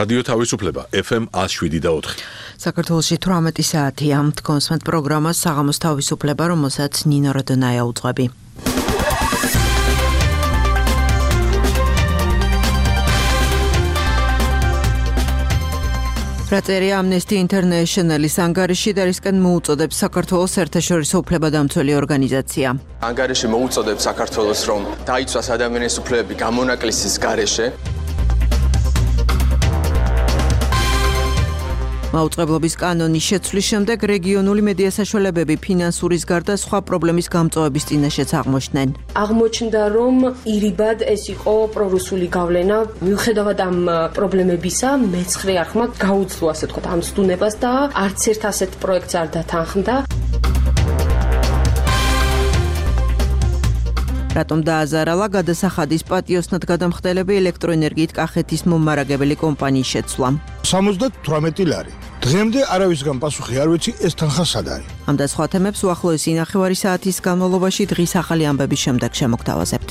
რადიო თავისუფლება FM 107.4. საქართველოში 18 საათია. კონსმენტ პროგრამა საღამოს თავისუფლება, რომელსაც ნინო როდონაია უძღვები. რაწერია Amnesty International-ის ანგარიში და რისკენ მოუწოდებს საქართველოს საერთაშორისო უფლებადამცველი ორგანიზაცია. ანგარიში მოუწოდებს საქართველოს, რომ დაიცვას ადამიანის უფლებები გამონაკლისის გარეშე. მაუწყებლობის კანონის შეცვლის შემდეგ რეგიონული მედია საშუალებები ფინანსურის გარდა სხვა პრობლემის გამწვავების წინაშეც აღმოჩნდნენ. აღმოჩნდა, რომ ირიბად ეს იყო პრორუსული გავლენა. მიუხედავად ამ პრობლემებისა, მეცხრე არხმა გაუძლო, ასე ვთქვათ, ამ ცდუნებას და არც ერთ ასეთ პროექტს არ დათანხმდა. რატომ დააზარალა გადასახადის პატიოსნად გადამხდელები ელექტროენერგიით კახეთის მომარაგებელი კომპანიის შეცვლა. 78 ლარი. დღემდე არავისგან პასუხი არ ვიცი, ეს თანხა სად არის. ამ და სხვა თემებს უახლოესი 9 საათის განმავლობაში დღის ახალი ამბების შემდეგ შემოგთავაზებთ.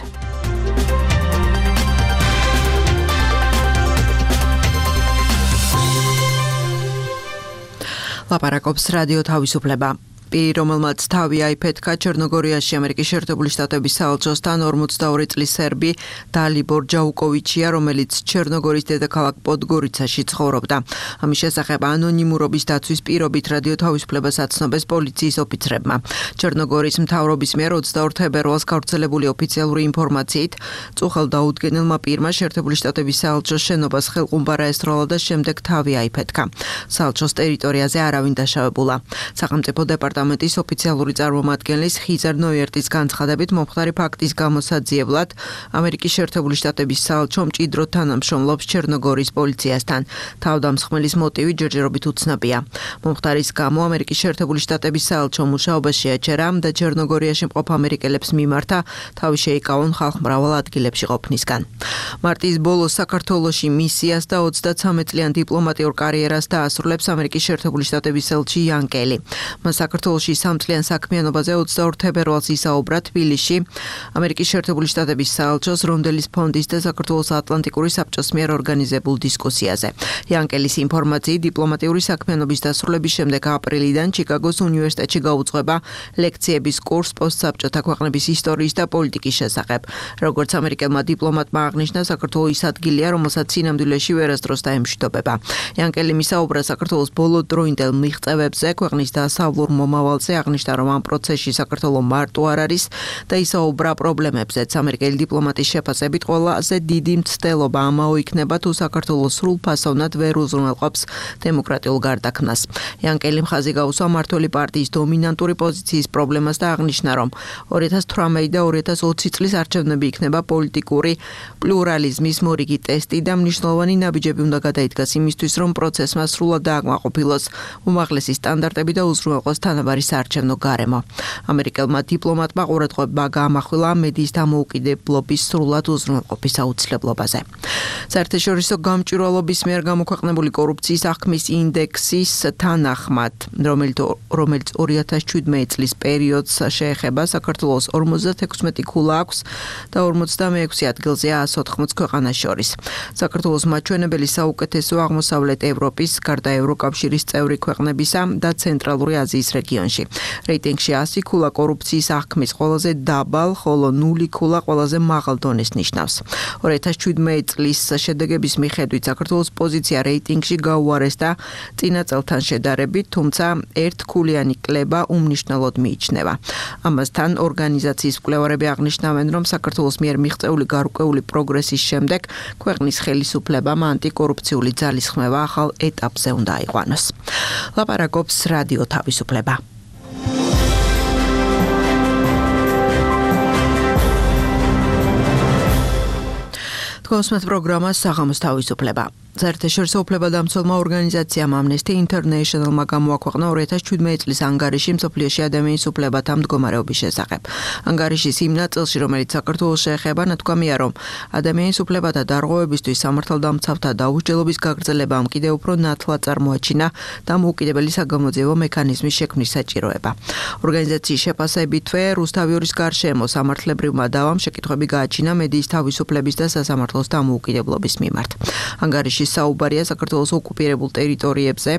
ლაპარაკობს რადიო თავისუფლება. პირი, რომელმაც თავი აიფეთქა ჩერნოგორიაში ამერიკის შეერთებული შტატების საელჩოსთან 42 წლის სერბი დალიბორ ჯაუკოვიჩია, რომელიც ჩერნოგორის დედაქალაქ პოდგორიცაში ცხოვრობდა. ამის შესახებ ანონიმურობის დაცვის პირობით რადიო თავისუფლებას აცნობეს პოლიციის ოფიცრებმა. ჩერნოგორის მთავრობის მიერ 22 თებერვალს გავრცელებული ოფიციალური ინფორმაციით, წუხელ დაუდგენელმა პირმა შეერთებული შტატების საელჩოს შენობას ხელყუმბარა ესროლა და შემდეგ თავი აიფეთქა. საელჩოს ტერიტორიაზე არავინ დაშავებულა. სახელმწიფო დეპარტამენტის ოფიციალური წარმომადგენლის ხიზარ ნოიერტის განცხადებით მომხდარი ფაქტის გამოსაძიებლად ამერიკის შეერთებული შტატების საელჩო მჭიდროდ თანამშრომლობს ჩერნოგორის პოლიციასთან. თავდამსხმელის მოტივი ჯერჯერობით უცნობია. მომხდარის გამო ამერიკის შეერთებული შტატების საელჩო მუშაობაში აჩერა და ჩერნოგორიაში მყოფ ამერიკელებს მიმართა თავი შეიკავონ ხალხმრავალ ადგილებში ყოფნისგან. მარტის ბოლოს საქართველოში მისიას და 33 წლიან დიპლომატიურ კარიერას დაასრულებს ამერიკის შეერთებული შტატების ელჩი იანკელი. მას საქართველოში 3 წლიან საქმიანობაზე 22 თებერვალს ისაუბრა თბილისში ამერიკის შეერთებული შტატების საელჩოს რონდელის ფონდის და საქართველოს ატლანტიკური საბჭოს მიერ ორგანიზებულ დისკუსიაზე. იანკელის ინფორმაციით დიპლომატიური საქმიანობის დასრულების შემდეგ აპრილიდან ჩიკაგოს უნივერსიტეტში გაუძღვება ლექციების კურს პოსტსაბჭოთა ქვეყნების ისტორიის და პოლიტიკის შესახებ. როგორც ამერიკელმა დიპლომატმა აღნიშნა, საქართველოს ის ადგილია, რომელსაც სინამდვილეში ვერასდროს დაემშვიდობება. იანკელი მისაუბრა საქართველოს ბოლოდროინდელ მიღწევებზე, ქვეყნის დასავლურ მომავალზე, აღნიშნა, რომ ამ პროცესში საქართველოს მარტო არ არის და ისაუბრა პრობლემებზეც. ამერიკელი დიპლომატის შეფასებით ყველაზე დიდი მცდელობა ამაო იქნება, თუ საქართველოს სრულფასოვნად ვერ უზრუნველყოფს დემოკრატიულ გარდაქმნას. იანკელი მხაზი გაუსვა მმართველი პარტიის დომინანტური პოზიციის პრობლემას და აღნიშნა, რომ 2018 და 2020 წლის არჩევნები იქნება პოლიტიკური პლურალიზმის მორიგი ტესტი და მნიშვნელოვანი ნაბიჯები უნდა გადაიდგას იმისთვის, რომ პროცესმა სრულად დააკმაყოფილოს უმაღლესი სტანდარტები და უზრუნველყოს თანაბარი საარჩევნო გარემო. ამერიკელმა დიპლომატმა ყურადღება გაამახვილა მედიის დამოუკიდებლობის სრულად უზრუნველყოფის აუცილებლობაზე. საერთაშორისო გამჭვირვალობის მიერ გამოქვეყნებული კორუფციის აღქმის ინდექსის თანახმად, რომელიც 2017 წლის პერიოდს შეეხება, საქართველოს 56 ქულა აქვს და 46 ადგილზეა 180 ქვეყანას შორის. საქართველოს მაჩვენებელი საუკეთესო აღმოსავლეთ ევროპის, გარდა ევროკავშირის წევრი ქვეყნებისა და ცენტრალური აზიის რეგიონში. რეიტინგში 100 ქულა კორუფციის აღქმის ყველაზე დაბალ, ხოლო 0 ქულა ყველაზე მაღალ დონეს ნიშნავს. 2017 წლის შედეგების მიხედვით საქართველოს პოზიცია რეიტინგში გაუარესდა წინა წელთან შედარებით, თუმცა ერთქულიანი კლება უმნიშვნელოდ მიიჩნევა. ამასთან ორგანიზაციის მკვლევარები აღნიშნავენ, რომ საქართველოს მიერ მიღწეული გარკვეული პროგრესის შემდეგ ქვეყნის ხელისუფლებამ ანტიკორუფციული ძალისხმევა ახალ ეტაპზე უნდა აიყვანოს. ლაპარაკობს რადიო თავისუფლება. კონსმენტ პროგრამა საღამოს თავისუფლება. საერთაშორისო უფლებადამცველმა ორგანიზაციამ Amnesty International-მა გამოაქვეყნა 2017 წლის ანგარიში მსოფლიოში ადამიანის უფლებათა მდგომარეობის შესახებ. ანგარიშის იმ ნაწილში, რომელიც საქართველოს შეეხება, ნათქვამია, რომ ადამიანის უფლებათა დარღვევებისთვის სამართალდამცავთა დაუსჯელობის გაგრძელებამ კიდევ უფრო ნათლად წარმოაჩინა დამოუკიდებელი საგამოძიებო მექანიზმის შექმნის საჭიროება. ორგანიზაციის შეფასებითვე, რუსთავიორის გარშემო სამართლებრივმა დავამ შეკითხვები გააჩინა მედიის თავისუფლების და სასამართლოს დამოუკიდებლობის მიმართ. ანგარიში ანგარიში საუბარია საქართველოს ოკუპირებულ ტერიტორიებზე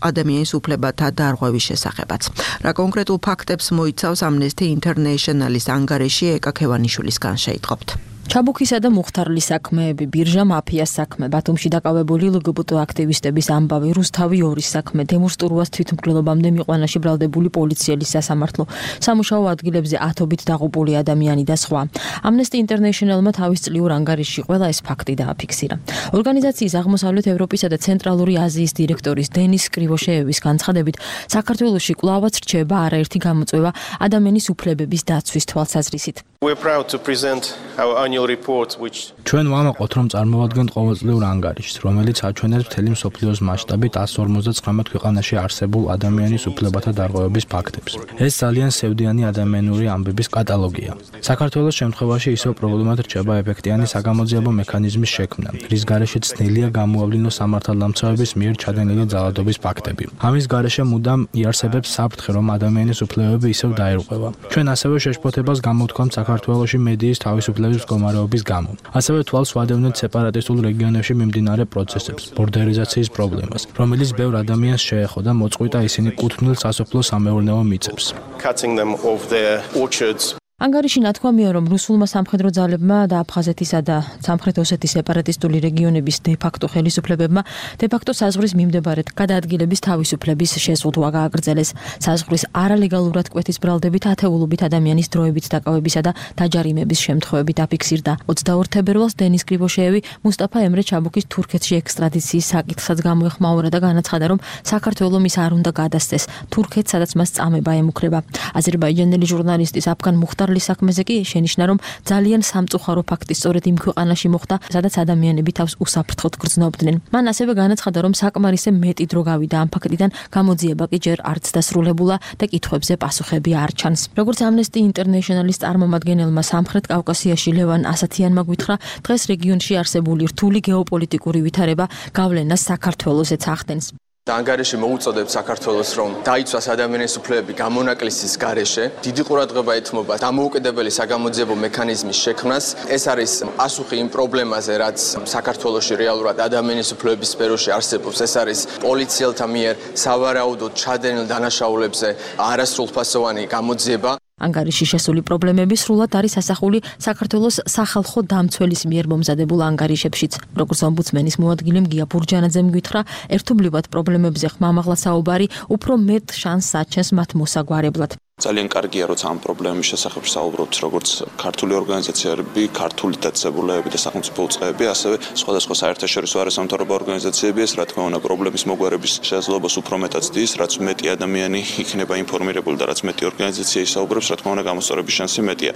ადამიანის უფლებათა დარღვევის შესახებაც. რა კონკრეტულ ფაქტებს მოიცავს Amnesty International-ის ანგარიში ეკა ქევანიშვილისგან შეიტყობთ. ჩაბუქისა და მუხთარლის საქმეები, ბირჟა მაფიას საქმე, ბათუმში დაკავებული LGBT აქტივისტების ამბავი, რუსთავი 2-ის საქმე, დემონსტრუას თვითმკვლელობამდე მიყვანაში ბრალდებული პოლიციელის სასამართლო, სამუშაო ადგილებზე ათობით დაღუპული ადამიანი და სხვა. Amnesty International-მა თავის წლიურ ანგარიშში ყველა ეს ფაქტი დააფიქსირა. ორგანიზაციის აღმოსავლეთ ევროპისა და ცენტრალური აზიის დირექტორის დენის კრივოშეევის განცხადებით, საქართველოში კვლავაც რჩება არაერთი გამოწვევა ადამიანის უფლებების დაცვის თვალსაზრისით. We're proud to present our annual report which ჩვენ ვამაყობთ რომ წარმოვადგენთ ყოველწლიურ ანგარიშს, რომელიც აჩვენებს მთელი მსოფლიოს მასშტაბით 159 ქვეყანაში არსებულ ადამიანის უფლებათა დარღვევების ფაქტებს. ეს ძალიან სევდიანი ადამიანური ამბების კატალოგია. საქართველოს შემთხვევაში ისევ პრობლემად რჩება ეფექტიანი საგამოძიებო მექანიზმის შექმნა, რის გარეშეც ძნელია გამოავლინოს სამართალდამცავების მიერ ჩადენილი ძალადობის ფაქტები. ამის გარეშე მუდამ იარსებებს საფრთხე, რომ ადამიანის უფლებები ისევ დაერღვევა. ჩვენ ასევე შეშფოთებას გამოვთქვამთ საქართველოში მედიის თავისუფლების მდგომარეობის გამო. ასევე თვალს ვადევნებთ სეპარატისტულ რეგიონებში მიმდინარე პროცესებს, ბორდერიზაციის პრობლემას, რომელიც ბევრ ადამიანს შეეხო და მოწყვიტა ისინი კუთვნილ სასოფლო-სამეურნეო მიწებს. cutting them off their orchards. ანგარიში ნათქვამია, რომ რუსულმა სამხედრო ძალებმა და აფხაზეთისა და სამხრეთ ოსეთის სეპარატისტული რეგიონების დე-ფაქტო ხელისუფლებებმა დე-ფაქტო საზღვრის მიმდებარედ გადაადგილების თავისუფლების შეზღუდვა გააგრძელეს. საზღვრის არალეგალურად კვეთის ბრალდებით ათეულობით ადამიანის დროებით დაკავებისა და დაჯარიმების შემთხვევები დაფიქსირდა. 24 თებერვალს დენის კრივოშეევი მუსტაფა ემრე ჩაბუქის თურქეთში ექსტრადიციის საკითხსაც გამოეხმაურა და განაცხადა, რომ საქართველო მის არ უნდა გადასცეს თურქეთს, სადაც მას წამება ემუქრება. აზერბაიჯანელი ჟურნალისტის აფგან მუხტარ საქმეზე კი შენიშნა, რომ ძალიან სამწუხარო ფაქტი სწორედ იმ ქვეყანაში მოხდა, სადაც ადამიანები თავს უსაფრთხოდ გრძნობდნენ. მან ასევე განაცხადა, რომ საკმარისე მეტი დრო გავიდა ამ ფაქტიდან, გამოძიება კი ჯერ არც დასრულებულა და კითხვებზე პასუხები არ ჩანს. როგორც Amnesty International-ის წარმომადგენელმა სამხრეთ კავკასიაში ლევან ასათიანმა გვითხრა, დღეს რეგიონში არსებული რთული გეოპოლიტიკური ვითარება გავლენას საქართველოსაც ახდენს. ანგარიში მოუწოდებს საქართველოს, რომ დაიცვას ადამიანის უფლებები გამონაკლისის გარეშე. დიდი ყურადღება ეთმობა დამოუკიდებელი საგამოძიებო მექანიზმის შექმნას. ეს არის პასუხი იმ პრობლემაზე, რაც საქართველოში რეალურად ადამიანის უფლებების სფეროში არსებობს. ეს არის პოლიციელთა მიერ სავარაუდოდ ჩადენილ დანაშაულებზე არასრულფასოვანი გამოძიება. ანგარიში შესული პრობლემები სრულად არის ასახული საქართველოს სახალხო დამცველის მიერ მომზადებულ ანგარიშებშიც. როგორც ომბუდსმენის მოადგილემ გია ბურჯანაძემ გითხრა, ერთობლივად პრობლემებზე ხმამაღლა საუბარი უფრო მეტ შანსს აჩენს მათ მოსაგვარებლად. ძალიან კარგია, როცა ამ პრობლემის შესახებ საუბრობთ, როგორც ქართული ორგანიზაციები, ქართული დაწესებულებები და სახელმწიფო უწყებები, ასევე სხვადასხვა საერთაშორისო არასამთავრობო ორგანიზაციები, ეს რა თქმა უნდა პრობლემის მოგვარების შესაძლებლობას უფრო მეტად ზრდის, რაც მეტი ადამიანი იქნება ინფორმირებული და რაც მეტი ორგანიზაცია ისაუბრებს, რა თქმა უნდა გამოსწორების შანსი მეტია.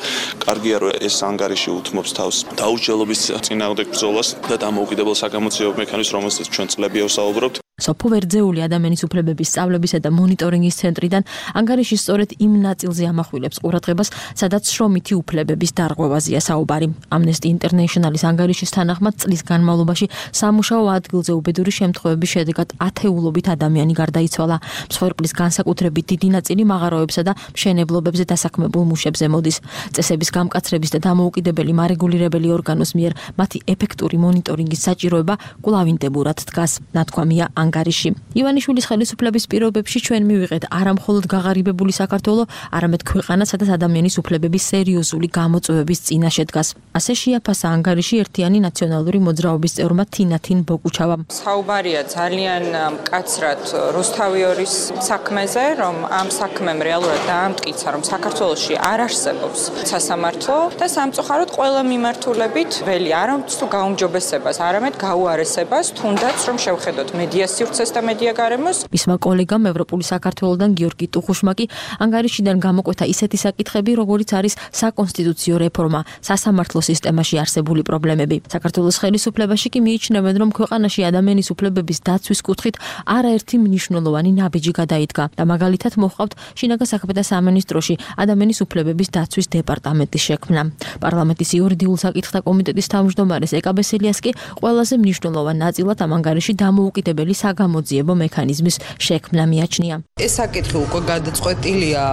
კარგია, რომ ეს ანგარიში უთმობს თავს დაუჯელობის წინააღმდეგ ბრძოლას და დამოუკიდებელ საგამოძიებო მექანიზმს, რომელსაც ჩვენ წლები ვსაუბრობთ. სოფო ვერძეული ადამიანის უფლებების სწავლებისა და მონიტორინგის ცენტრიდან ანგარიში სწორედ იმ ნაწილზე ამახვილებს ყურადღებას, სადაც შრომითი უფლებების დარღვევაზეა საუბარი. Amnesty International-ის ანგარიშის თანახმად წლის განმავლობაში სამუშაო ადგილზე უბედური შემთხვევების შედეგად ათეულობით ადამიანი გარდაიცვალა. მსხვერპლის განსაკუთრებით დიდი ნაწილი მაღაროებსა და მშენებლობებზე დასაქმებულ მუშებზე მოდის. წესების გამკაცრების და დამოუკიდებელი მარეგულირებელი ორგანოს მიერ მათი ეფექტური მონიტორინგის საჭიროება კვლავინდებურად დგას. ნათქვამია ანგარიში. ივანიშვილის ხელისუფლების პირობებში ჩვენ მივიღეთ არა მხოლოდ გაღარიბებული საქართველო, არამედ ქვეყანა, სადაც ადამიანის უფლებების სერიოზული გამოწვევების წინაშე დგას. ასე შეაფასა ანგარიში ერთიანი ნაციონალური მოძრაობის წევრმა თინათინ ბოკუჩავამ. საუბარია ძალიან მკაცრად რუსთავი 2-ის საქმეზე, რომ ამ საქმემ რეალურად დაამტკიცა, რომ საქართველოში არ არსებობს სასამართლო და სამწუხაროდ ყველა მიმართულებით ველი არ ამტკიცს თუ გაუმჯობესებას, არამედ გაუარესებას, თუნდაც რომ შევხედოთ მედია სივრცეს და მედია გარემოს. მისმა კოლეგამ ევროპული საქართველოდან გიორგი ტუხუშმა კი ანგარიშიდან გამოკვეთა ისეთი საკითხები, როგორიც არის საკონსტიტუციო რეფორმა, სასამართლო სისტემაში არსებული პრობლემები. საქართველოს ხელისუფლებაში კი მიიჩნევენ, რომ ქვეყანაში ადამიანის უფლებების დაცვის კუთხით არაერთი მნიშვნელოვანი ნაბიჯი გადაიდგა და მაგალითად მოჰყავთ შინაგან საქმეთა სამინისტროში ადამიანის უფლებების დაცვის დეპარტამენტის შექმნა. პარლამენტის იურიდიულ საკითხთა კომიტეტის თავმჯდომარეს ეკა ბესელიას კი ყველაზე მნიშვნელოვან ნაწილად ამ ანგარიში დამოუკიდებელი საგამოძიებო მექანიზმის შექმნა მიაჩნია. ეს საკითხი უკვე გადაწყვეტილია,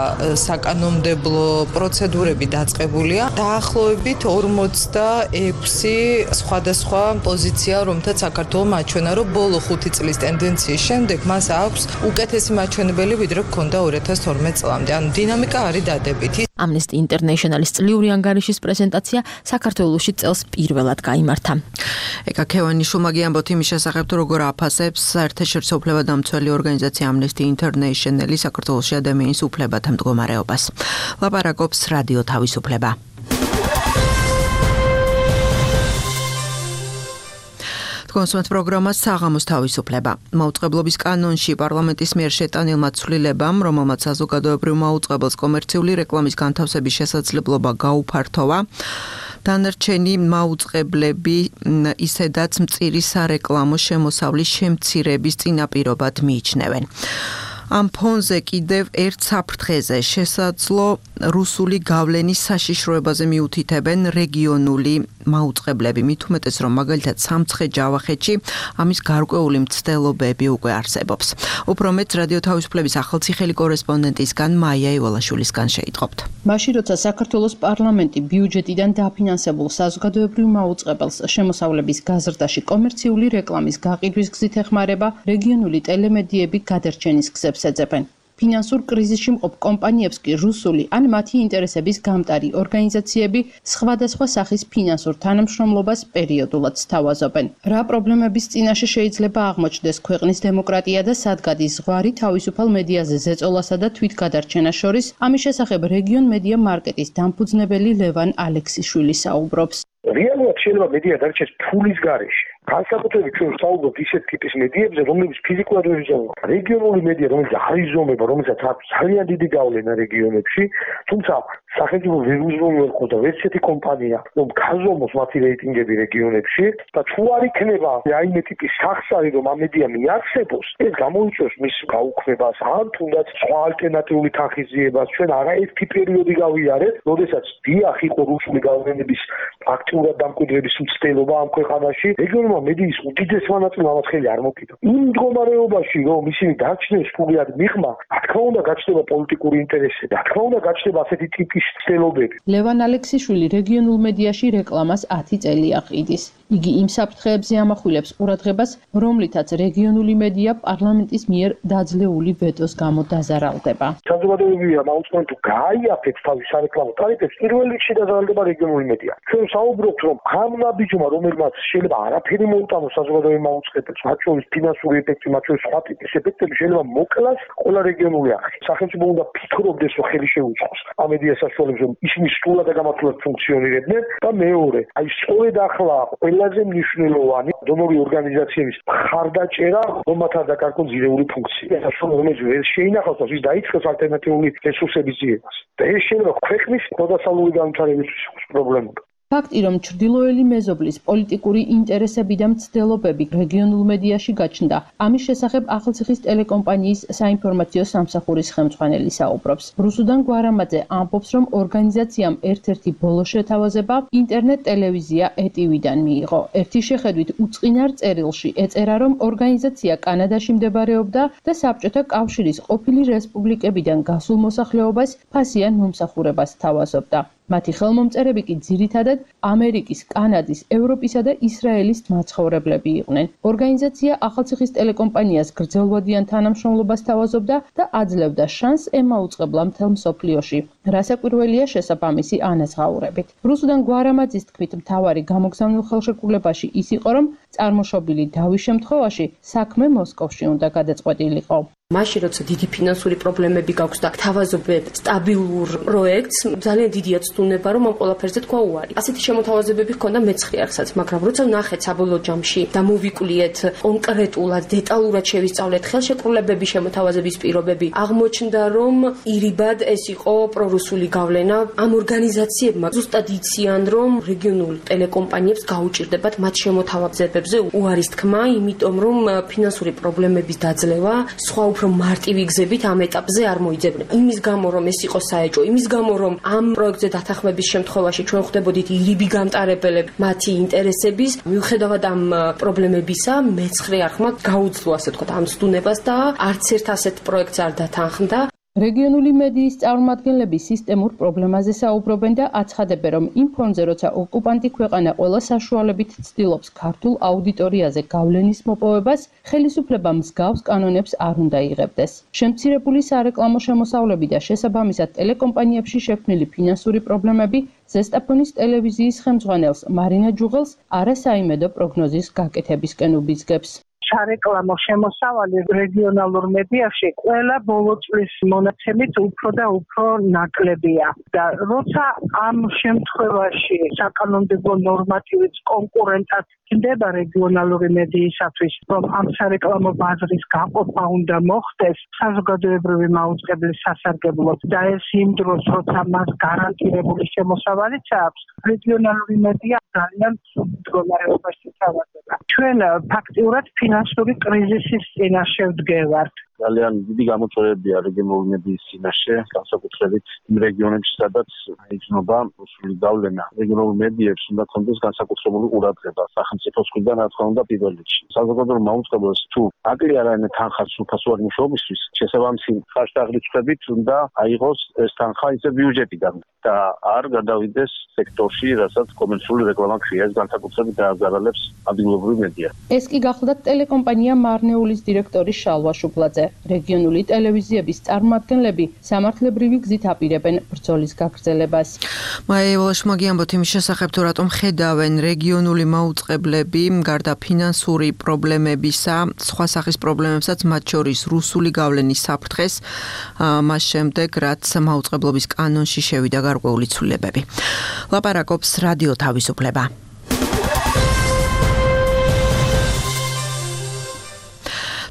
საკანონმდებლო პროცედურები დაწყებულია. დაახლოებით 46 სხვადასხვა პოზიცია, რომთაც საქართველოს მაჩვენა, რომ ბოლო 5 წლის ტენდენციის შემდეგ მას აქვს უკეთესი მაჩვენებელი, ვიდრე ჰქონდა 2012 წლამდე. ანუ დინამიკა არის დადებითი. Amnesty International-ის წლიური ანგარიშის პრეზენტაცია საქართველოში წელს პირველად გაიმართა. ეკა ქევანიშვილმა გიამბოთ იმის შესახებ, თუ როგორ აფასებს საერთაშორისო უფლებადამცველი ორგანიზაცია Amnesty International-ი საქართველოში ადამიანის უფლებათა მდგომარეობას. ლაპარაკობს რადიო თავისუფლება. კონსუმატ პროგრამა საღამოს თავისუფლება. მაუწყებლობის კანონში პარლამენტის მიერ შეტანილმა ცვლილებამ, რომელმაც საზოგადოებრივ მაუწყებელს კომერციული რეკლამის განთავსების შესაძლებლობა გაუფართოვა, დანარჩენი მაუწყებლები ისედაც მწირი სარეკლამო შემოსავლის შემცირების წინაპირობად მიიჩნევენ. ამ ფონზე კიდევ ერთ საფრთხეზე შესაძლო რუსული გავლენის საშიშროებაზე მიუთითებენ რეგიონული მაუწყებლები. მით უმეტეს, რომ მაგალითად სამცხე-ჯავახეთში ამის გარკვეული მცდელობები უკვე არსებობს. უფრო მეტ რადიო თავისუფლების ახალციხელი კორესპონდენტისგან მაია ივალაშვილისგან შეიტყობთ. მაშინ როცა საქართველოს პარლამენტი ბიუჯეტიდან დაფინანსებულ საზოგადოებრივ მაუწყებელს შემოსავლების გაზრდაში კომერციული რეკლამის გაყიდვის გზით ეხმარება, რეგიონული ტელემედიები გადარჩენის გზებს ეძებენ. ფინანსურ კრიზისში მყოფ კომპანიებს კი რუსული ან მათი ინტერესების გამტარი ორგანიზაციები სხვადასხვა სახის ფინანსურ თანამშრომლობას პერიოდულად სთავაზობენ. რა პრობლემების წინაშე შეიძლება აღმოჩნდეს ქვეყნის დემოკრატია და სად გადის ზღვარი თავისუფალ მედიაზე ზეწოლასა და თვითგადარჩენას შორის, ამის შესახებ რეგიონ მედია მარკეტის დამფუძნებელი ლევან ალექსიშვილი საუბრობს. რეალურად შეიძლება მედია დარჩეს ფულის გარეშე. განსაკუთრებით ჩვენ ვსაუბრობთ ისეთ ტიპის მედიებზე, რომლებიც ფიზიკურად ვერ იზომება. რეგიონული მედია, რომელიც არ იზომება, რომელსაც აქვს ძალიან დიდი გავლენა რეგიონებში, თუმცა სახელმწიფო ვერ უზრუნველყო და ვერც ერთი კომპანია, რომ გაზომოს მათი რეიტინგები რეგიონებში და თუ არ იქნება რაიმე ტიპის სახსარი, რომ ამ მედია მიარსებოს, ეს გამოიწვევს მის გაუქმებას, ან თუნდაც სხვა ალტერნატიული თანხიზიებას. ჩვენ არაერთი პერიოდი გავიარეთ, როდესაც დიახ იყო რუსული გავლენების აქტიურად დამკვიდრების მცდელობა ამ ქვეყანაში, რეგიონულმა მედიის უდიდესმა ნაწილმა ამათ ხელი არ მოკიდა. იმ მდგომარეობაში, რომ ისინი დარჩნენ სრულიად მიღმა, რა თქმა უნდა გაჩნდება პოლიტიკური ინტერესები, რა თქმა უნდა გაჩნდება ასეთი ტიპის ცდილობები. ლევან ალექსიშვილი რეგიონულ მედიაში რეკლამას 10 წელი აყიდის. იგი იმ საფრთხეებზე ამახვილებს ყურადღებას, რომლითაც რეგიონული მედია პარლამენტის მიერ დაძლეული ვეტოს გამო დაზარალდება. საზოგადოებრივია მაუწყებლად თუ გააიაფებს თავის სარეკლამო ტარიფებს, პირველ რიგში დაზარალდება რეგიონული მედია. ჩვენ ვსაუბრობთ, რომ ამ ნაბიჯმა, რომელმაც შეიძლება არაფერი მოუტანოს საზოგადოებრივ მაუწყებელს, მათ შორის ფინანსური ეფექტი, მათ შორის სხვა ტიპის ეფექტები შეიძლება მოკლას ყველა რეგიონული არხი. სახელმწიფო უნდა ფიქრობდეს, რომ ხელი შეუწყოს ამ მედია საშუალებას, რომ ისინი სრულად და გამართულად ფუნქციონირებდნენ და მეორე, აი სწორედ ახლა ყველაზე მნიშვნელოვანი დონორი ორგანიზაციების მხარდაჭერა, რომ მათ არ დაკარგონ ძირეული ფუნქცია, რომელიც ვერ შეინახავს, ის დაიწყოს ალტერნატიული რესურსების ძიებას. და ეს შეიძლება ქვეყნის პროდასალური განვითარებისთვის იყოს პრობლემა. ფაქტი, რომ ჩრდილოელი მეზობლის პოლიტიკური ინტერესები და მცდელობები რეგიონულ მედიაში გაჩნდა, ამის შესახებ ახალციხის ტელეკომპანიის საინფორმაციო სამსახურის ხელმძღვანელი საუბრობს. რუსუდან გვარამაძე ამბობს, რომ ორგანიზაციამ ერთ-ერთი ბოლო შეთავაზება ინტერნეტ ტელევიზია ETV-დან მიიღო. ერთი შეხედვით უწყინარ წერილში ეწერა, რომ ორგანიზაცია კანადაში მდებარეობდა და საბჭოთა კავშირის ყოფილი რესპუბლიკებიდან გასულ მოსახლეობას ფასიან მომსახურებას თავაზობდა. მათი ხელმომწერები კი ძირითადად ამერიკის, კანადის, ევროპისა და ისრაელის მაცხოვრებლები იყვნენ. ორგანიზაცია ახალციხის ტელეკომპანიას გრძელვადიან თანამშრომლობას თავაზობდა და აძლევდა შანსს ემაუწყებლა მთელ მსოფლიოში. რასაკვირველია შესაბამისი ანაზღაურებით. რუსუდან გვარამაძის თქმით, მთავარი გამოგზავნილ ხელშეკრულებაში ის იყო, რომ წარმოშობილი დავის შემთხვევაში საქმე მოსკოვში უნდა გადაწყვეტილიყო. მაშინ როცა დიდი ფინანსური პრობლემები გაქვს და თავაზობენ სტაბილურ პროექტს, ძალიან დიდია ცდუნება, რომ ამ ყველაფერზე თქვა უარი. ასეთი შემოთავაზებები ჰქონდა მეცხრე არხსაც, მაგრამ როცა ვნახეთ საბოლოო ჯამში და მოვიკვლიეთ კონკრეტულად, დეტალურად შევისწავლეთ ხელშეკრულებების შემოთავაზების პირობები, აღმოჩნდა, რომ ირიბად ეს იყო პრორუსული გავლენა. ამ ორგანიზაციებმა ზუსტად იციან, რომ რეგიონულ ტელეკომპანიებს გაუჭირდებათ მათ შემოთავაზებები თანხმდებებზე უარის თქმა, იმიტომ რომ ფინანსური პრობლემების დაძლევა სხვა უფრო მარტივი გზებით ამ ეტაპზე არ მოიძებნება. იმის გამო რომ ეს იყო საეჭვო, იმის გამო რომ ამ პროექტზე დათანხმების შემთხვევაში ჩვენ ხვდებოდით ირიბი გამტარებელები მათი ინტერესების, მიუხედავად ამ პრობლემებისა, მეცხრე არხმა გაუძლო ასე ვთქვათ ამ ცდუნებას და არც ერთ ასეთ პროექტს არ დათანხმდა. რეგიონული მედიის წარმომადგენლები სისტემურ პრობლემაზე საუბრობენ და აცხადებენ, რომ იმ ფონზე, როცა ოკუპანტი ქვეყანა ყველა საშუალებით ცდილობს ქართულ აუდიტორიაზე გავლენის მოპოვებას, ხელისუფლებამ მსგავს კანონებს არ უნდა იღებდეს. შემცირებული სარეკლამო შემოსავლები და შესაბამისად ტელეკომპანიებში შექმნილი ფინანსური პრობლემები ზესტაფონის ტელევიზიის ხელმძღვანელს მარინა ჯუღელს არასაიმედო პროგნოზის გაკეთებისკენ უბიძგებს. სარეკლამო შემოსავალი რეგიონალურ მედიაში ყველა ბოლო წლის მონაცემით უფრო და უფრო ნაკლებია და როცა ამ შემთხვევაში საკანონმდებლო ნორმატივიც კონკურენტად ხდება რეგიონალური მედიისათვის, რომ ამ სარეკლამო ბაზრის გაყოფა უნდა მოხდეს საზოგადოებრივი მაუწყებლის სასარგებლოდ და ეს იმ დროს, როცა მას გარანტირებული შემოსავალიც აქვს, რეგიონალური მედია ძალიან ცუდ მდგომარეობაში თავაზდება. ჩვენ ფაქტიურად ფინანსური კრიზისის წინაშე ვდგევართ. ძალიან დიდი გამოწვევებია რეგიონული მედიის წინაშე, განსაკუთრებით იმ რეგიონებში, სადაც იგრძნობა რუსული გავლენა. რეგიონულ მედიებს უნდა ქონდეს განსაკუთრებული ყურადღება სახელმწიფოს მხრიდან, რა თქმა უნდა, პირველ რიგში. საზოგადოებრივ მაუწყებელს თუ აკლია რაიმე თანხა სრულფასოვანი მუშაობისთვის, შესაბამისი ხარჯ-დაღრიცხვებით უნდა აიღოს ეს თანხა ისე ბიუჯეტიდან და არ გადავიდეს სექტორში, რასაც კომერციული რეკლამა ქვია, ეს განსაკუთრებით დააზარალებს ადგილობრივ მედიას. ეს კი გახლდათ ტელეკომპანია მარნეულის დირექტორი შალვა შუბლაძე. რეგიონული ტელევიზიების წარმომადგენლები სამართლებრივი გზით აპირებენ ბრძოლის გაგრძელებას. მაია ვალაშმაგი ამბობთ იმის შესახებ, თუ რატომ ხედავენ რეგიონული მაუწყებლები გარდა ფინანსური პრობლემებისა, სხვა სახის პრობლემებსაც, მათ შორის რუსული გავლენის საფრთხეს, მას შემდეგ, რაც მაუწყებლობის კანონში შევიდა გარკვეული ცვლილებები. ლაპარაკობს რადიო თავისუფლება.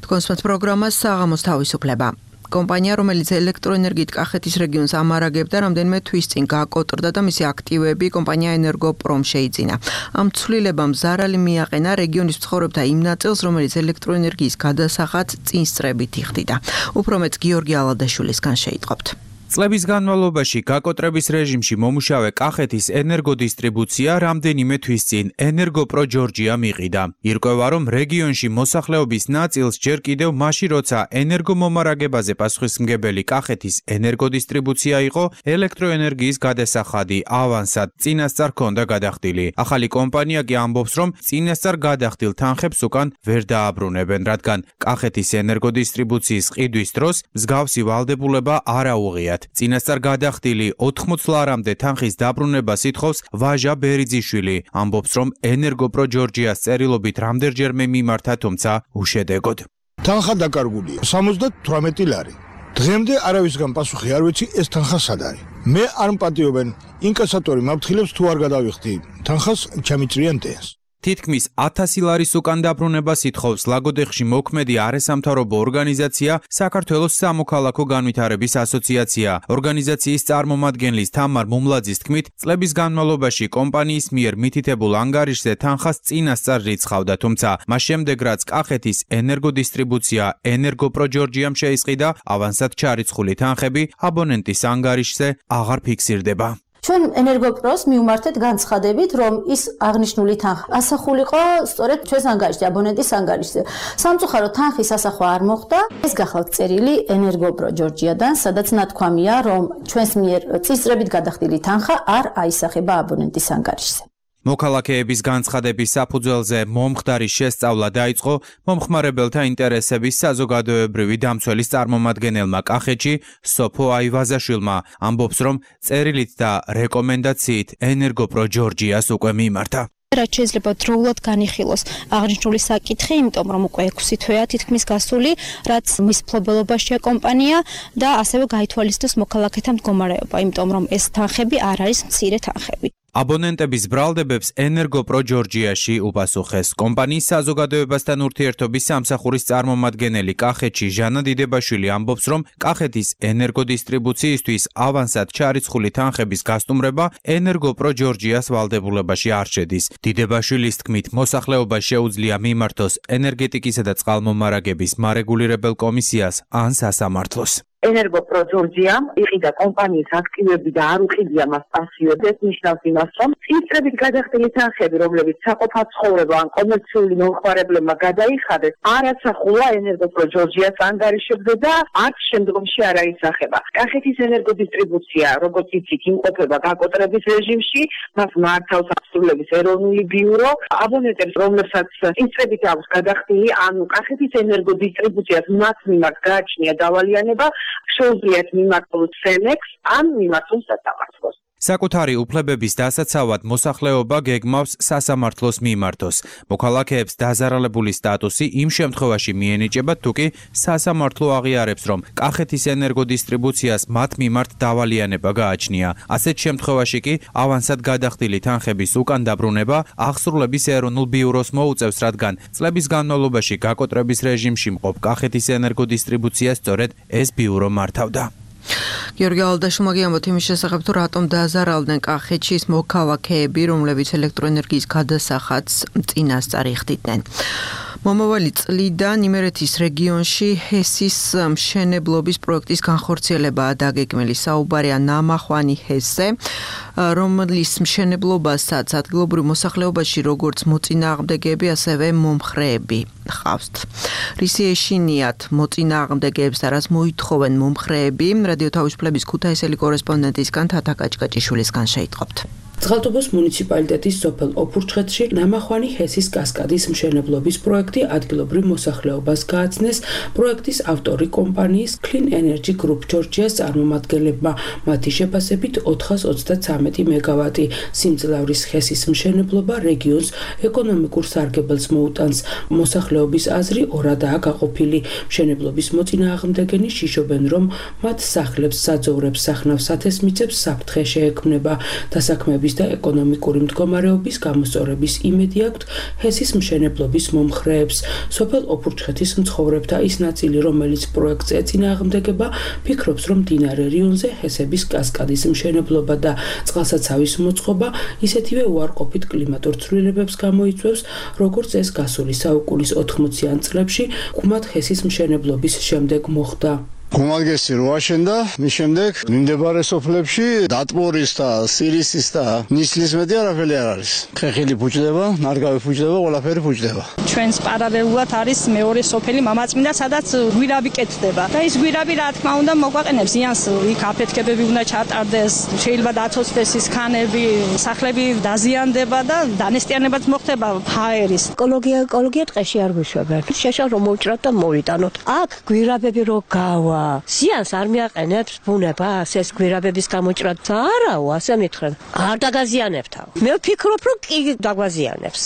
კონსპект პროგრამას საღამოს თავისუფლება. კომპანია, რომელიც ელექტროენერგიით კახეთის რეგიონს ამარაგებდა, რამდენიმე თვის წინ გაკოტრდა და მისი აქტივები კომპანია ენერგოპრომ შეიძინა. ამ ცვლილებამ ზარალი მიაყენა რეგიონის მცხოვრებთა იმ ნაწილს, რომელიც ელექტროენერგიის გადასახადს წინსწრებით იხდიდა. უფრო მეც გიორგი ალადაშვილისგან შეიტყობთ. წლების განმავლობაში გაკოტრების რეჟიმში მომუშავე კახეთის ენერგოდისტრიბუცია რამდენიმე თვის წინ ენერგოპრო ჯორჯია მიყიდა. ირკვევა, რომ რეგიონში მოსახლეობის ნაწილს ჯერ კიდევ მაშინ, როცა ენერგომომარაგებაზე პასუხისმგებელი კახეთის ენერგოდისტრიბუცია იყო, ელექტროენერგიის გადასახადი ავანსად წინასწარ ჰქონდა გადახდილი. ახალი კომპანია კი ამბობს, რომ წინასწარ გადახდილ თანხებს უკან ვერ დააბრუნებენ, რადგან კახეთის ენერგოდისტრიბუციის ყიდვის დროს მსგავსი ვალდებულება არ აუღიათ. წინასწარ გადახდილი 80 ლარამდე თანხის დაბრუნებას ითხოვს ვაჟა ბერიძიშვილი. ამბობს, რომ ენერგოპრო ჯორჯიას წერილობით რამდენჯერმე მიმართა, თუმცა უშედეგოდ. თანხა დაკარგულია 78 ლარი. დღემდე არავისგან პასუხი არ ვიცი ეს თანხა სად არის. მე არ მპატიობენ ინკასატორი მაფრთხილებს თუ არ გადავიხდი თანხას ჩამიჭრიან დენს. თითქმის 1000 ლარის უკან დაბრუნებას ითხოვს ლაგოდეხში მოქმედი არასამთავრობო ორგანიზაცია საქართველოს სამოქალაქო განვითარების ასოციაცია. ორგანიზაციის წარმომადგენლის თამარ მუმლაძის თქმით, წლების განმავლობაში კომპანიის მიერ მითითებულ ანგარიშზე თანხას წინასწარ რიცხავდა, თუმცა მას შემდეგ, რაც კახეთის ენერგოდისტრიბუცია ენერგოპრო ჯორჯიამ შეისყიდა, ავანსად ჩარიცხული თანხები აბონენტის ანგარიშზე აღარ ფიქსირდება. ჩვენ ენერგოპროს მივმართეთ განცხადებით, რომ ის აღნიშნული თანხა ასახულიყო სწორედ ჩვენს ანგარიშზე, აბონენტის ანგარიშზე. სამწუხაროდ თანხის ასახვა არ მოხდა. ეს გახლავთ წერილი ენერგოპრო ჯორჯიადან, სადაც ნათქვამია, რომ ჩვენს მიერ წინსწრებით გადახდილი თანხა არ აისახება აბონენტის ანგარიშზე. მოქალაქეების განცხადების საფუძველზე მომხდარი შესწავლა დაიწყო მომხმარებელთა ინტერესების საზოგადოებრივი დამცველის წარმომადგენელმა კახეთში სოფო აივაზაშვილმა. ამბობს, რომ წერილით და რეკომენდაციით ენერგოპრო ჯორჯიას უკვე მიმართა. რაც შეიძლება დროულად განიხილოს აღნიშნული საკითხი, იმიტომ რომ უკვე 6 თვეა თითქმის გასული, რაც მის მფლობელობაშია კომპანია და ასევე გაითვალისწინოს მოქალაქეთა მდგომარეობა, იმიტომ რომ ეს თანხები არ არის მცირე თანხები. აბონენტების ბრალდებებს ენერგოპრო ჯორჯიაში უპასუხეს. კომპანიის საზოგადოებასთან ურთიერთობის სამსახურის წარმომადგენელი კახეთში ჟანა დიდებაშვილი ამბობს, რომ კახეთის ენერგოდისტრიბუციისთვის ავანსად ჩარიცხული თანხების გასტუმრება ენერგოპრო ჯორჯიას ვალდებულებაში არ შედის. დიდებაშვილის თქმით, მოსახლეობას შეუძლია მიმართოს ენერგეტიკისა და წყალმომარაგების მარეგულირებელ კომისიას ან სასამართლოს. ენერგოპრო ჯორჯიამ იყიდა კომპანიის აქტივები და არ უყიდია მას პასიოდ. ეს ნიშნავს იმას, რომ წინწრებით გადახდილი თანხები, რომლებიც საყოფა ცხოვრება ან კომერციული მომხმარებლებმა გადაიხადეს, არ ასახულა ენერგოპრო ჯორჯიას ანგარიშებზე და არც შემდგომში არ აისახება. კახეთის ენერგოდისტრიბუცია, როგორც იცით, იმყოფება გაკოტრების რეჟიმში, მას მართავს აღსრულების ეროვნული ბიურო. აბონენტებს, რომლებსაც წინწრებით აქვს გადახდილი, ანუ კახეთის ენერგოდისტრიბუციას მათ მიმართ გააჩნია დავალიანება, შეუძლიათ მიმართოს სენექს ან მიმართოს სასამართლოს. საკუთარი უფლებების დასაცავად მოსახლეობა გეგმავს სასამართლოს მიმართოს. მოქალაქეებს დაზარალებული სტატუსი იმ შემთხვევაში მიენიჭება, თუკი სასამართლო აღიარებს, რომ კახეთის ენერგოდისტრიბუციას მათ მიმართ დავალიანება გააჩნია. ასეთ შემთხვევაში კი ავანსად გადახდილი თანხების უკან დაბრუნება აღსრულების ეროვნულ ბიუროს მოუწევს, რადგან წლების განმავლობაში გაკოტრების რეჟიმში მყოფ კახეთის ენერგოდისტრიბუციას სწორედ ეს ბიურო მართავდა. გიორგი ალდაშვილმა გიამბოთ იმის შესახებ, თუ რატომ დააზარალდნენ კახეთში მოქალაქეები, რომლებიც ელექტროენერგიის გადასახადს წინასწარ იხდიდნენ. მომავალი წლიდან იმერეთის რეგიონში ჰესის მშენებლობის პროექტის განხორციელებაა დაგეგმილი. საუბარია ნამახვანი ჰესზე, რომლის მშენებლობასაც ადგილობრივ მოსახლეობაში როგორც მოწინააღმდეგეები, ასევე მომხრეები ხავთ. რისი ეშინიათ მოწინააღმდეგეებს და რას მოითხოვენ მომხრეები, რადიო თავისუფლების ქუთაისელი კორესპონდენტისგან თათა კაჭკაჭიშვილისგან შეიტყობთ. წყალტუბოს მუნიციპალიტეტის სოფელ ოფურჩხეთში ნამახვანი ჰესის კასკადის მშენებლობის პროექტი ადგილობრივ მოსახლეობას გააცნეს პროექტის ავტორი კომპანიის Clean Energy Group ჯორჯიას წარმომადგენლებმა. მათი შეფასებით 433 მეგავატი სიმძლავრის ჰესის მშენებლობა რეგიონს ეკონომიკურ სარგებელს მოუტანს. მოსახლეობის აზრი ორადაა გაყოფილი. მშენებლობის მოწინააღმდეგენი შიშობენ, რომ მათ სახლებს, საძოვრებს, სახნავს ათესმიწებს საფრთხე შეექმნება. დასაქმების და ეკონომიკური მდგომარეობის გამოსწორების იმედი აქვთ ჰესის მშენებლობის მომხრეებს. სოფელ ოფურჩხეთის მცხოვრებთა ის ნაწილი, რომელიც პროექტს ეწინააღმდეგება, ფიქრობს, რომ მდინარე რიონზე ჰესების კასკადის მშენებლობა და წყალსაცავის მოწყობა ისეთივე უარყოფით კლიმატურ ცვლილებებს გამოიწვევს, როგორც ეს გასული საუკუნის 80-იან წლებში კუმად ჰესის მშენებლობის შემდეგ მოხდა. გუმაგესი რო აშენდა, მის შემდეგ მიმდებარე სოფლებში დატბორის და სირისის და ნისლის მეტი არაფერი არ არის. ხეხილი ფუჭდება, ნარგავი ფუჭდება, ყველაფერი ფუჭდება. ჩვენს პარალელურად არის მეორე სოფელი მამაწმინდა, სადაც გვირაბი კეთდება. და ის გვირაბი რა თქმა უნდა მოგვაყენებს ზიანს, იქ აფეთქებები უნდა ჩატარდეს, შეიძლება დაცოცდეს ის ქანები, სახლები დაზიანდება და დანესტიანებაც მოხდება ჰაერის. ეკოლოგია ტყეში არ გვიშვებენ. შეშა რომ მოვჭრათ და მოვიტანოთ. აქ გვირაბები რო გავა ზიანს არ მიაყენებს ბუნებას ეს გვირაბების გამოჭრაც არაო ასე მითხრენ არ დაგაზიანებთაო მე ვფიქრობ რომ კი დაგვაზიანებს.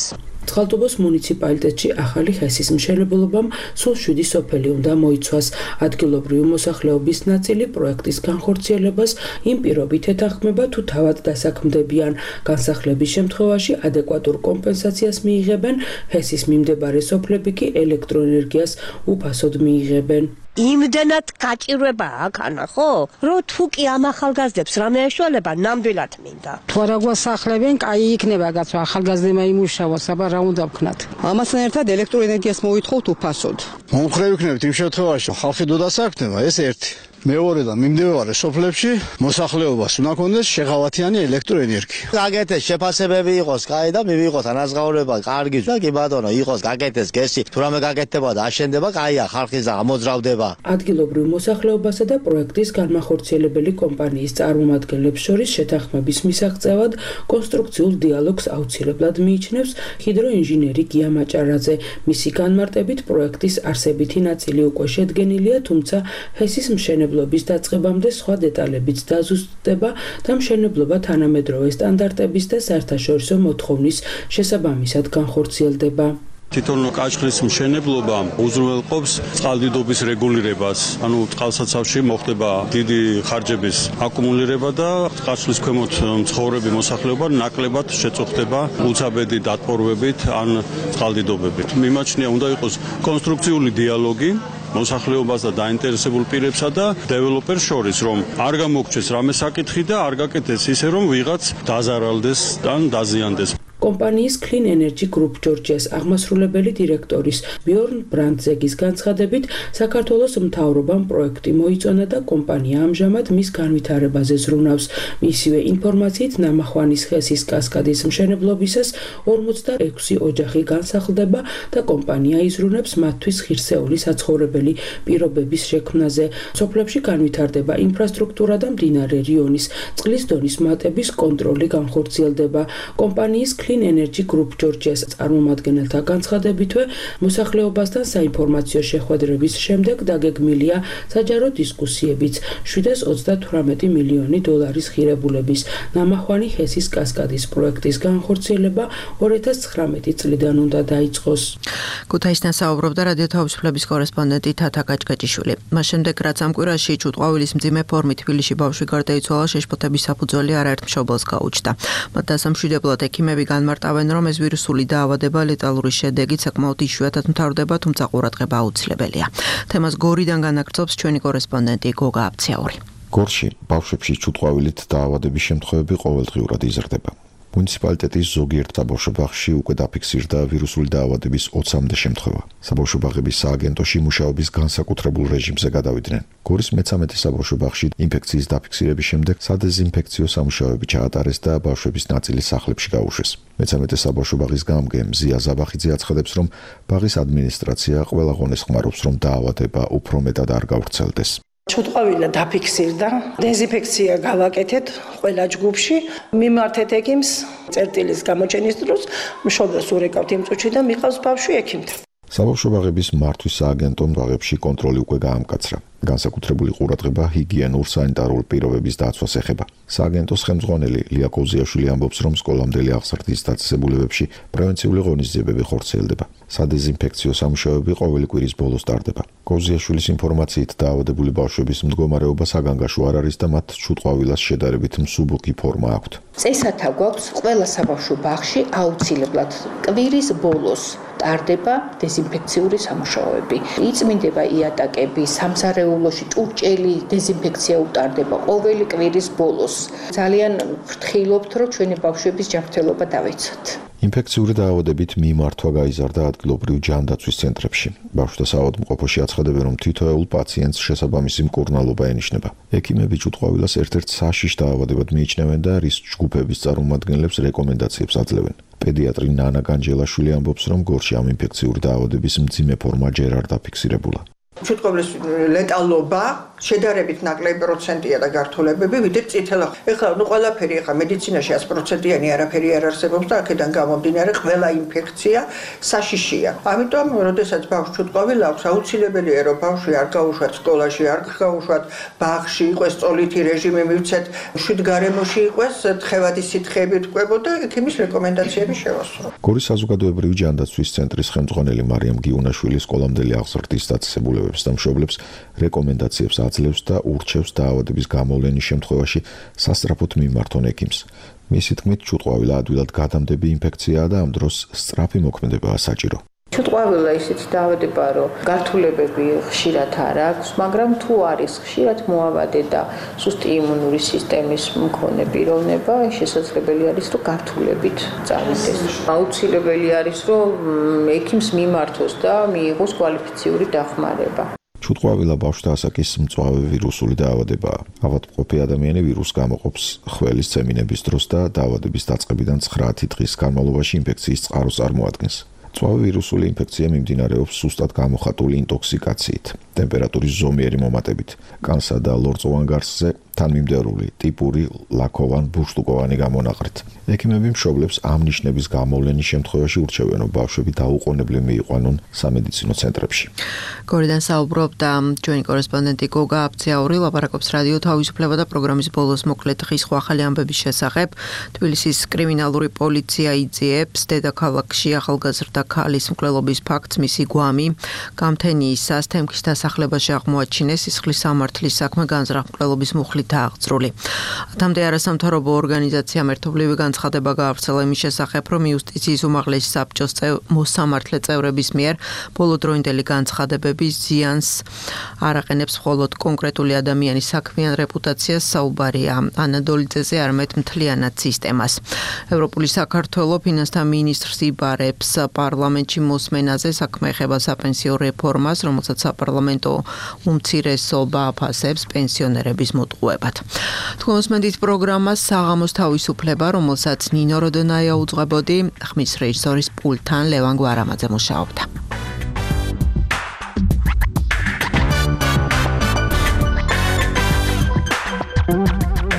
წყალტუბოს მუნიციპალიტეტში ახალი ჰესის მშენებლობამ სულ 7 სოფელი უნდა მოიცვას. ადგილობრივი მოსახლეობის ნაწილი პროექტის განხორციელებას იმ პირობით ეთანხმება, თუ თავად დასაქმდებიან. განსახლების შემთხვევაში ადეკვატურ კომპენსაციას მიიღებენ, ჰესის მიმდებარე სოფლები კი ელექტროენერგიას უფასოდ მიიღებენ. იმდენად გაჭირვება აქ ანა ხო? რო თუ კი ამ ახალგაზრდებს რამე ეშვალება ნამდვილად მინდა. თუ არა გვასახლებენ, კაი იქნება გაცო ახალგაზრდებმა იმუშაოს, აბა რა უნდა ვქნათ. ამასთან ერთად ელექტროენერგიას მოითხოვთ უფასოდ. მომხრე ვიქნებით იმ შემთხვევაში, ხალხი დოდასაქმდება, ეს ერთი. მეორე და მიმდებარე სოფლებში მოსახლეობას უნდა კონდეს შეღავათიანი ელექტროენერგია. გაკეთეს შეფასებები იყოს, კაი და მივიღოთ ანაზღაურება, კარგი და კი ბატონო, იყოს გაკეთეს გესი, თუ რამე გაკეთდება და აშენდება, კაია, ხალხის და ამოძრავდება. ადგილობრივ მოსახლეობასა და პროექტის განმახორციელებელი კომპანიის წარმომადგენლებს შორის შეთანხმების მისაღწევად კონსტრუქციულ დიალოგს აუცილებლად მიიჩნევს ჰიდროინჟინერი გია მაჭარაძე. მისი განმარტებით პროექტის არსებითი ნაწილი უკვე შედგენილია, თუმცა ჰესის მშენებლობის დაწყებამდე სხვა დეტალებიც დაზუსტდება და მშენებლობა თანამედროვე სტანდარტების და საერთაშორისო მოთხოვნის შესაბამისად განხორციელდება. თვითონ კაჭხლის მშენებლობა უზრუნველყოფს წყალდიდობის რეგულირებას. ანუ წყალსაცავში მოხდება დიდი ხარჯების აკუმულირება და კაჭხლის ქვემოთ მცხოვრები მოსახლეობა ნაკლებად შეწუხდება უცაბედი დატბორვებით ან წყალდიდობებით. მიმაჩნია უნდა იყოს კონსტრუქციული დიალოგი მოსახლეობას და დაინტერესებულ პირებსა და დეველოპერს შორის, რომ არ გამოგჩეს რამე საკითხი და არ გაკეთდეს ისე, რომ ვიღაც დაზარალდეს ან დაზიანდეს. კომპანიის Clean Energy Group Georgia's აღმასრულებელი დირექტორის ბიორნ ბრანდზეგის განცხადებით, საქართველოს მთავრობამ პროექტი მოიწონა და კომპანია ამჟამად მის განვითარებაზე ზრუნავს. მისივე ინფორმაციით, ნამახვანის ხესის კასკადის მშენებლობისას 46 ოჯახი განსახლდება და კომპანია იზრუნებს მათთვის ღირსეული საცხოვრებელი პირობების შექმნაზე. სოფლებში განვითარდება ინფრასტრუქტურა და მდინარე რიონის წყლის დონის მატების კონტროლი განხორციელდება. კომპანიის Clean Energy Group Georgia's წარმომადგენელთა განცხადებითვე, მოსახლეობასთან საინფორმაციო შეხვედრების შემდეგ დაგეგმილია საჯარო დისკუსიებიც 728 მილიონი დოლარის ღირებულების ნამახვანი ჰესის კასკადის პროექტის განხორციელება 2019 წლიდან უნდა დაიწყოს. ქუთაისთან საუბრობდა რადიო თავისუფლების კორესპონდენტი თათა კაჭკაჭიშვილი. მას შემდეგ, რაც ამ კვირაში ჭუტყვავილის მძიმე ფორმით თბილისში ბავშვი გარდაიცვალა, შეშფოთების საფუძველი არაერთ მშობელს გაუჩნდა. მათ დასამშვიდებლად ექიმები განმარტავენ, რომ ეს ვირუსული დაავადება ლეტალური შედეგით საკმაოდ იშვიათად მთავრდება, თუმცა ყურადღება აუცილებელია. თემას გორიდან განაგრძობს ჩვენი კორესპონდენტი გოგა აფციაური. გორში ბავშვებში ჭუტყვავილით დაავადების შემთხვევები ყოველდღიურად იზრდება. მუნიციპალიტეტის ზოგიერთ საბავშვო ბაღში უკვე დაფიქსირდა ვირუსული დაავადების 20-მდე შემთხვევა. საბავშვო ბაღების სააგენტოში მუშაობის განსაკუთრებულ რეჟიმზე გადავიდნენ. გორის მე-13 საბავშვო ბაღში ინფექციის დაფიქსირების შემდეგ სადეზინფექციო სამუშაოები ჩაატარეს და ბავშვების ნაწილი სახლებში გაუშვეს. მე-13 საბავშვო ბაღის გამგე მზია ზაბახიძე აცხადებს, რომ ბაღის ადმინისტრაცია ყველა ღონეს ხმარობს, რომ დაავადება უფრო მეტად არ გავრცელდეს. ჭუტყვავილა დაფიქსირდა, დეზინფექცია გავაკეთეთ ყველა ჯგუფში, მიმართეთ ექიმს წერტილის გამოჩენის დროს, მშობელს ურეკავთ იმ წუთში და მიყავს ბავშვი ექიმთან. საბავშვო ბაღების მართვის სააგენტომ ბაღებში კონტროლი უკვე გაამკაცრა. განსაკუთრებული ყურადღება ჰიგიენურ სანიტარულ პირობების დაცვას ეხება. სააგენტოს ხელმძღვანელი ლია კოზიაშვილი ამბობს, რომ სკოლამდელი აღზრდის დაწესებულებებში პრევენციული ღონისძიებები ხორციელდება. სადეზინფექციო სამუშაოები ყოველი კვირის ბოლოს ტარდება. კოზიაშვილის ინფორმაციით დაავადებული ბავშვების მდგომარეობა საგანგაშო არ არის და მათ ჭუტყვავილას შედარებით მსუბუქი ფორმა აქვთ. წესათა გვაქვს ყველა საბავშვო ბაღში აუცილებლად კვირის ბოლოს ტარდება დეზინფექციური სამუშაოები. იწმინდება იატაკები, სამზარეულოში ჭურჭელი დეზინფექცია უტარდება ყოველი კვირის ბოლოს. ძალიან ვფრთხილობთ, რომ ჩვენი ბავშვების ჯანმრთელობა დავიცოთ. ინფექციური დაავადებით მიმართვა გაიზარდა ადგილობრივ ჯანდაცვის ცენტრებში. ბავშვთა საავადმყოფოში აცხადებენ, რომ თითოეულ პაციენტს შესაბამისი მკურნალობა ენიშნება. ექიმები ჭუტყვავილას ერთ-ერთ საშიშ დაავადებად მიიჩნევენ და რის ჯგუფების წარმომადგენლებს რეკომენდაციებს აძლევენ. პედიატრი ნანა განჯელაშვილი ამბობს, რომ გორში ამ ინფექციური დაავადების მძიმე ფორმა ჯერ არ დაფიქსირებულა. ჭუტყვავილის ლეტალობა შედარებით ნაკლები პროცენტია და გართულებები ვიდრე წითელ. ეხლა ყველაფერი მედიცინაში 100%-იანი არაფერი არ არსებობს და აქედან გამომდინარე ყველა ინფექცია საშიშია. ამიტომ, როდესაც ბავშვს ჭუტყვავილი აქვს, აუცილებელია, რომ ბავშვი არ გაუშვათ სკოლაში, არ გაუშვათ ბაღში, იყოს წოლითი რეჟიმი მივცეთ, შვიდ გარემოში იყოს, თხევადი სითხეები თქვებო და ექიმის რეკომენდაციები შევასრულო. გორის საზოგადოებრივი ჯანდაცვის ცენტრის ხელმძღვანელი მარიამ გიუნაშვილი სკოლამდელი აღზრდის დაწესებულებებს და მშობლებს რეკომენდაციებს აძლევს და ურჩევს დაავადების გამოვლენის შემთხვევაში სასწრაფოდ მიმართონ ექიმს. მისი თქმით, ჭუტყვავილა ადვილად გადამდები ინფექციაა და ამ დროს სწრაფი მოქმედებაა საჭირო. ჭუტყვავილა ისეთი დაავადებაა, რომ გართულებები ხშირად არ აქვს, მაგრამ თუ არის ხშირად მოავადე და სუსტი იმუნური სისტემის მქონე პიროვნება, შესაძლებელი არის, რომ გართულებით წავიდეს. აუცილებელი არის, რომ ექიმს მიმართოს და მიიღოს კვალიფიციური დახმარება. ჭუტყვავილა ბავშვთა ასაკის მწვავე ვირუსული დაავადებაა. ავადმყოფი ადამიანი ვირუსს გამოყოფს ხველის ცემინების დროს და დაავადების დაწყებიდან 9 დღის განმავლობაში ინფექციის წყაროს წარმოადგენს. მწვავე ვირუსული ინფექცია მიმდინარეობს სუსტად გამოხატული ინტოქსიკაციით, ტემპერატურის ზომიერი მომატებით, კანსა და ლორწოვან გარსზე თანმიმდევრული, ტიპური, ლაქოვან, ბურშტუკოვანი გამონაყრით. ექიმები მშობლებს ამ ნიშნების გამოვლენის შემთხვევაში ურჩევენ, რომ ბავშვები დაუყოვნებლივ მიიყვანონ სამედიცინო ცენტრებში. გორიდან საუბრობდა ჩვენი კორესპონდენტი გოგა აფციაური, ლაპარაკობს რადიო თავისუფლება და პროგრამის ბოლოს მოკლედ დღის ახალი ამბების შესახებ. თბილისის კრიმინალური პოლიცია იძიებს დედაქალაქში ახალგაზრდა ქალის მკვლელობის ფაქტს მისი გვამი გამთენიის სასთემქის დასახლებაში აღმოაჩინეს, სისხლის სამართლის საქმე განზრახ მკვლელობის მუხლით დააღწრული. ათამდე არასამთავრობო ორგანიზაციამ ერთობლივი განცხადება გაავრცელა იმის შესახებ, რომ იუსტიციის უმაღლესი საბჭოს მოსამართლე წევრების მიერ ბოლოდროინდელი განცხადებების ზიანს არ აყენებს მხოლოდ კონკრეტული ადამიანის საქმიან რეპუტაციას, საუბარია ანადოლიძეზე, არამედ მთლიანად სისტემას. ევროპული საქართველო ფინანსთა მინისტრს იბარებს პარლამენტში მოსმენაზე, საქმე ეხება საპენსიო რეფორმას, რომელსაც საპარლამენტო უმცირესობა აფასებს პენსიონერების მოტყუებად. თქოსმენდით პროგრამას საღამოს თავისუფლება, რომელსაც ნინო როდონაია უძღვებოდი, ხმის რეჟისორის პულტთან ლევან გვარამაძე მუშაობდა.